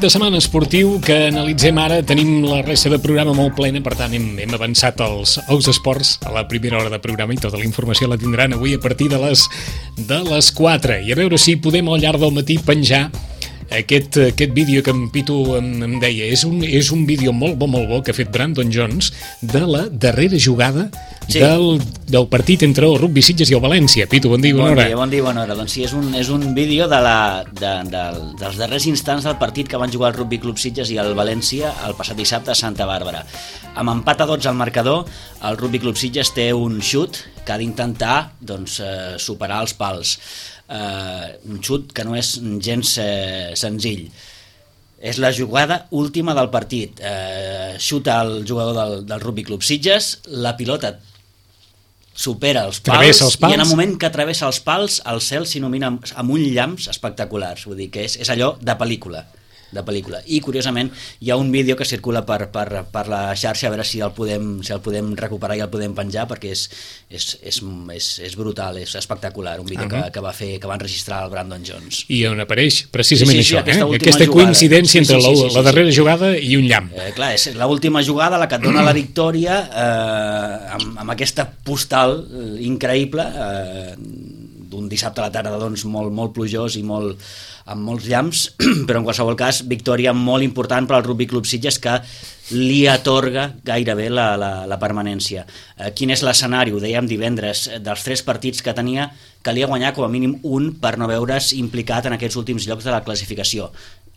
de setmana esportiu que analitzem ara. Tenim la resta de programa molt plena, per tant hem avançat als esports a la primera hora de programa i tota la informació la tindran avui a partir de les 4. I a veure si podem al llarg del matí penjar aquest vídeo que en Pitu em deia. És un vídeo molt bo que ha fet Brandon Jones de la darrera jugada del partit entre el Rugby Sitges i el València. Pitu, bon dia, bona hora. Bon dia, bona hora. Doncs sí, és un vídeo dels darrers instants del partit que van jugar el Rugby Club Sitges i el València el passat dissabte a Santa Bàrbara. Amb empat a 12 al marcador, el Rugby Club Sitges té un xut que ha d'intentar superar els pals. Un xut que no és gens senzill. És la jugada última del partit. Xuta el jugador del Rugby Club Sitges, la pilota supera els pals, i en el moment que travessa els pals el cel s'il·lumina amb uns llamps espectaculars. Vull dir que és allò de pel·lícula. I curiosament hi ha un vídeo que circula per la xarxa, a veure si el podem recuperar i el podem penjar, perquè és brutal, és espectacular, un vídeo que va enregistrar el Brandon Jones. I on apareix precisament això, aquesta coincidència entre la darrera jugada i un llamp. Clar, és l'última jugada la que et dona la victòria, amb aquesta postal increïble, d'un dissabte a la tarda molt plujós i amb molts llamps, però en qualsevol cas victòria molt important per al Rugby Club Sitges, que li atorga gairebé la permanència. Quin és l'escenari? Ho dèiem divendres, dels 3 partits que tenia, calia guanyar com a mínim un per no veure's implicat en aquests últims llocs de la classificació.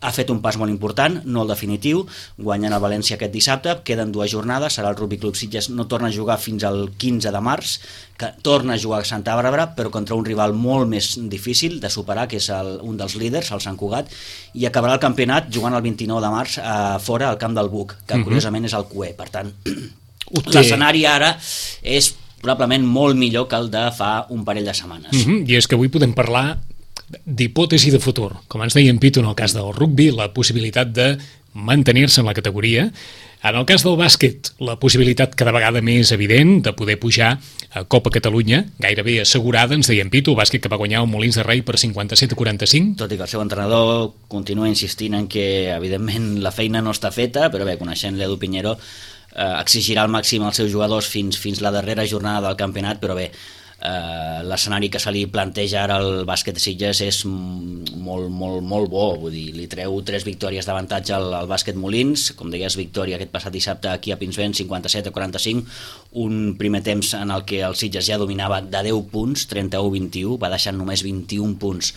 Ha fet un pas molt important, no el definitiu, guanyant el València aquest dissabte, queden 2 jornades, serà el Rugby Club Sitges, no torna a jugar fins al 15 de març, que torna a jugar a Santa Bàrbara, però contra un rival molt més difícil de superar, que és un dels líders, el Sant Cugat, i acabarà el campionat jugant el 29 de març fora al camp del Buc, que curiosament és el QE. Per tant, l'escenari ara és probablement molt millor que el de fa un parell de setmanes. I és que avui podem parlar d'hipòtesi de futur. Com ens deia en Pitu, en el cas del rugby, la possibilitat de mantenir-se en la categoria. En el cas del bàsquet, la possibilitat cada vegada més evident de poder pujar a Copa Catalunya, gairebé assegurada, ens deia en Pitu, el bàsquet que va guanyar el Molins de Rei per 57-45. Tot i que el seu entrenador continua insistint en que, evidentment, la feina no està feta, però bé, coneixent l'Edu Piñero, exigirà al màxim als seus jugadors fins la darrera jornada del campionat, però bé, l'escenari que se li planteja ara al bàsquet de Sitges és molt bo, vull dir, li treu 3 victòries d'avantatge al bàsquet Molins, com deies, victòria aquest passat dissabte aquí a Pinsbens, 57-45, un primer temps en el que el Sitges ja dominava de 10 punts, 31-21, va deixant només 21 punts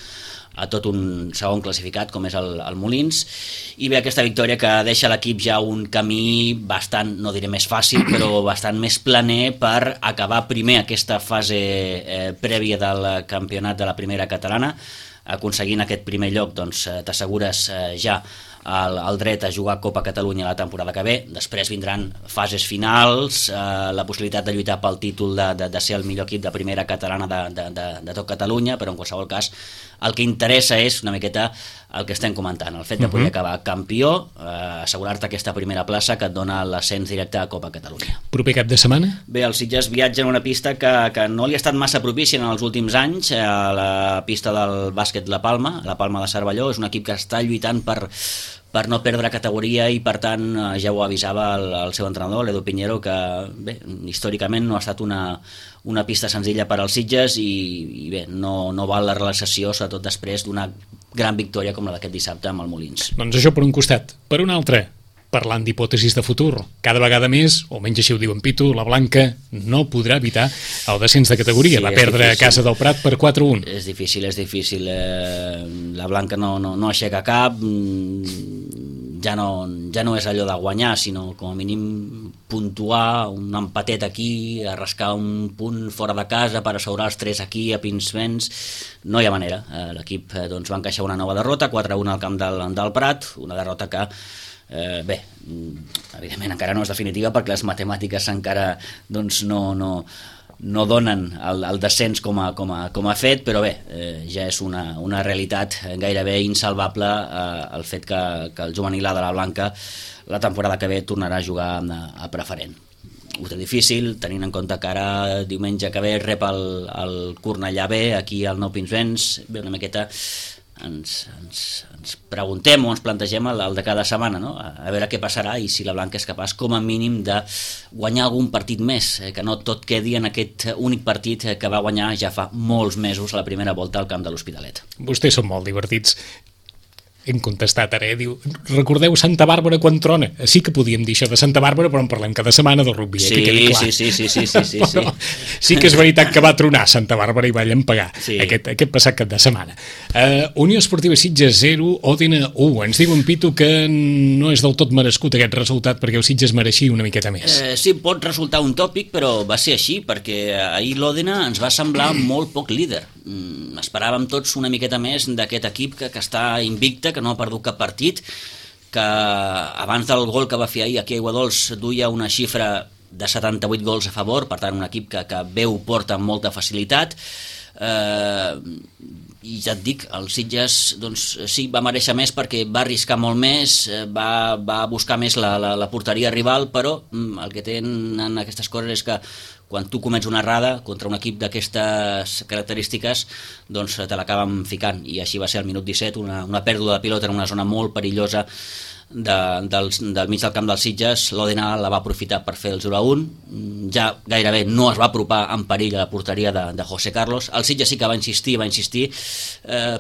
a tot un segon classificat com és el Molins, i bé, aquesta victòria que deixa l'equip ja un camí bastant, no diré més fàcil, però bastant més planer per acabar primer aquesta fase prèvia del campionat de la primera catalana. Aconseguint aquest primer lloc, doncs t'assegures ja el dret a jugar Copa Catalunya la temporada que ve. Després vindran fases finals, la possibilitat de lluitar pel títol de ser el millor equip de primera catalana de tot Catalunya, però en qualsevol cas el que interessa és una miqueta el que estem comentant, el fet de poder acabar campió, assegurar-te aquesta primera plaça que et dona l'ascens directe a Copa Catalunya. Proper cap de setmana? Bé, el Sitges viatja en una pista que no li ha estat massa propícia en els últims anys, a la pista del bàsquet La Palma de Cervelló. És un equip que està lluitant per no perdre categoria i, per tant, ja ho avisava el seu entrenador, l'Edu Piñero, que bé, històricament no ha estat una pista senzilla per als Sitges i bé, no val la relaxació, sobretot després d'una gran victòria com la d'aquest dissabte amb el Molins. Doncs això per un costat. Per un altre, parlant d'hipòtesis de futur, cada vegada més, o menys així ho diu en Pitu, la Blanca no podrà evitar el descens de categoria. Sí, va perdre a casa del Prat per 4-1. És difícil. La Blanca no aixeca cap, ja no és allò de guanyar, sinó com a mínim puntuar, un empatet aquí, arrascar un punt fora de casa per assegurar els 3 aquí a Pinsbens. No hi ha manera. L'equip va encaixar una nova derrota, 4-1 al camp del Prat, una derrota que bé, evidentment encara no és definitiva perquè les matemàtiques encara no donen el descens com a fet, però bé, ja és una realitat gairebé insalvable el fet que el juvenil de la Blanca la temporada que ve tornarà a jugar a preferent. Ho té difícil, tenint en compte que ara diumenge que ve rep el Cornellà B aquí al Nou Pinsbens, ve una miqueta ens preguntem o ens plantegem el de cada setmana, no? A veure què passarà i si la Blanca és capaç com a mínim de guanyar algun partit més, que no tot quedi en aquest únic partit que va guanyar ja fa molts mesos a la primera volta al camp de l'Hospitalet. Vostès són molt divertits. Hem contestat ara, diu, recordeu Santa Bàrbara quan trona? Sí que podíem dir això de Santa Bàrbara, però en parlem cada setmana del rugby, sí, que quedi clar. Sí. Però sí que és veritat que va tronar Santa Bàrbara i va llampagar aquest passat cap de setmana. Unió Esportiva Sitges 0, Òdena 1. Ens diu en Pitu que no és del tot merescut aquest resultat perquè el Sitges mereixia una miqueta més. Sí, pot resultar un tòpic, però va ser així, perquè ahir l'Òdena ens va semblar molt poc líder. Esperàvem tots una miqueta més d'aquest equip que està invicte, que no ha perdut cap partit, que abans del gol que va fer ahir aquí a Aiguadols duia una xifra de 78 gols a favor, per tant un equip que bé ho porta amb molta facilitat, i ja et dic, el Sitges doncs, sí, va mereixer més perquè va arriscar molt més, va buscar més la porteria rival, però el que tenen aquestes coses és que quan tu comets una errada contra un equip d'aquestes característiques, doncs te l'acaben ficant, i així va ser al minut 17, una pèrdua de pilota en una zona molt perillosa del mig del camp dels Sitges. L'Òdena la va aprofitar per fer el 0-1, ja gairebé no es va apropar en perill a la porteria de José Carlos. El Sitges sí que va insistir,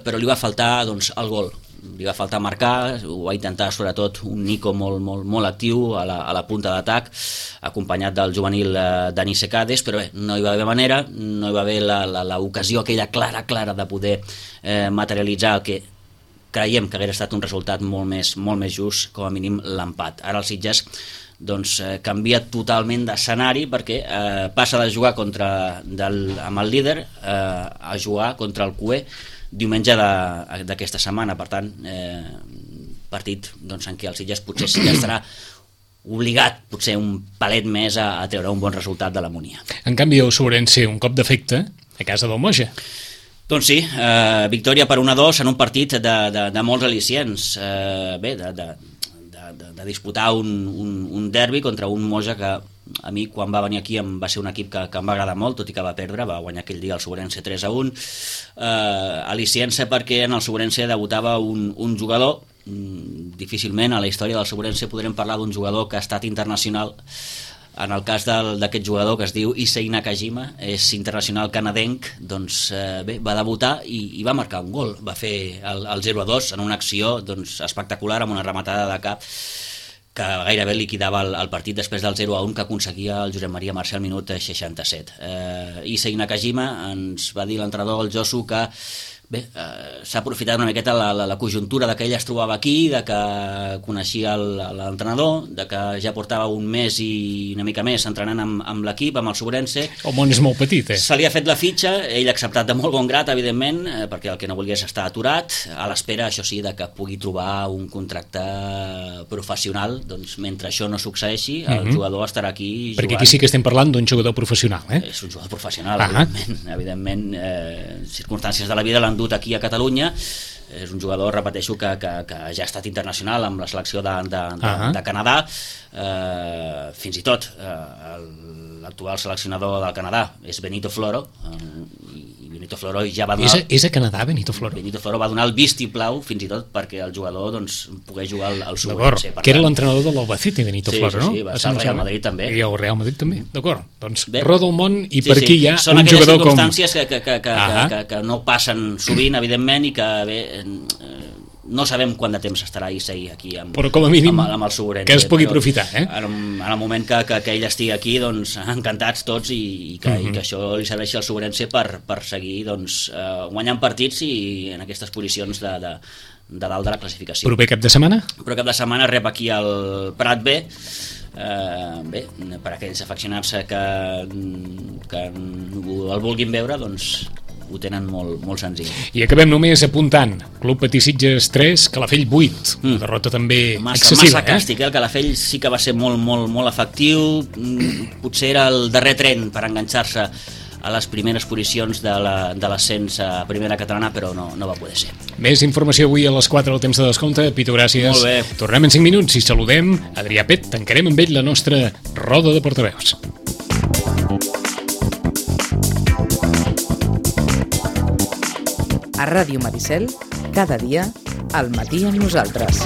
però li va faltar doncs, el gol. Li va faltar marcar, ho va intentar sobretot un Nico molt actiu a la punta d'atac, acompanyat del juvenil Dani Secades, però bé, no hi va haver manera, no hi va haver l'ocasió aquella clara de poder materialitzar el que creiem que hauria estat un resultat molt més just, com a mínim l'empat. Ara el Sitges doncs, canvia totalment d'escenari perquè passa de jugar amb el líder a jugar contra el CUE diumenge d'aquesta setmana. Per tant, partit doncs, en què el Sitges potser sí que estarà obligat potser un palet més a treure un bon resultat de la Múnia. En canvi, el Sobrense, un cop d'efecte a casa del Moja. Doncs sí, victòria per 1-2 en un partit de molts al·licients. Bé, de disputar un derbi contra un Moja que a mi quan va venir aquí va ser un equip que em va agradar molt, tot i que va perdre, va guanyar aquell dia el Sobrense 3-1. Al·liciència perquè en el Sobrense debutava un jugador, difícilment a la història del Sobrense podrem parlar d'un jugador que ha estat internacional. En el cas d'aquest jugador que es diu Issei Nakajima, és internacional canadenc, doncs bé, va debutar i va marcar un gol, va fer el 0-2 en una acció doncs, espectacular, amb una rematada de cap que gairebé liquidava el partit després del 0-1 que aconseguia el Josep Maria Marcel al minut 67. Issei Nakajima, ens va dir l'entrenador, el Josu, que bé, s'ha aprofitat una miqueta la conjuntura de que ell es trobava aquí, de que coneixia l'entrenador, de que ja portava un mes i una mica més entrenant amb l'equip, amb el Sobrense. El món és molt petit, Se li ha fet la fitxa, ell ha acceptat de molt bon grat, evidentment, perquè el que no volgués estar aturat, a l'espera, això sí, de que pugui trobar un contracte professional. Doncs mentre això no succeeixi, el jugador estarà aquí jugant. Perquè aquí sí que estem parlant d'un jugador professional, És un jugador professional, evidentment, circumstàncies de la vida l'han dut aquí a Catalunya. És un jugador, repeteixo, que ja ha estat internacional amb la selecció de Canadà, fins i tot l'actual seleccionador del Canadà és Benito Floro, i Benito Floro ja va donar... És a Canadà, Benito Floro? Benito Floro va donar el vistiplau, fins i tot, perquè el jugador doncs, pogués jugar al Sobrense. Que era l'entrenador de l'Albacete, Benito Floro, no? Sí, va estar al Real Madrid també. I al Real Madrid també, d'acord. Doncs roda el món i per aquí hi ha són un jugador com... Són aquelles circumstàncies que no passen sovint, evidentment, i que bé... No sabem quant de temps estarà Issei aquí amb el Sobrense. Que es pugui aprofitar, En el moment que ell estigui aquí, doncs, encantats tots i que això li serveixi al Sobrense per seguir doncs, guanyant partits i en aquestes posicions de dalt de la classificació. Proper cap de setmana? Proper cap de setmana rep aquí el Prat B. Bé, per aquells afeccionats que el vulguin veure, doncs ho tenen molt senzill. I acabem només apuntant Club Patí Sitges 3, Calafell 8, una derrota també excessiva. Massa càstig, el Calafell sí que va ser molt efectiu, potser era el darrer tren per enganxar-se a les primeres posicions de l'ascens a primera catalana, però no va poder ser. Més informació avui a les 4 del temps de descompte. Pitu, gràcies. Molt bé. Tornem en 5 minuts i saludem Adrià Pet. Tancarem amb ell la nostra roda de portaveus. A Ràdio Maricel, Cada dia, al matí amb nosaltres.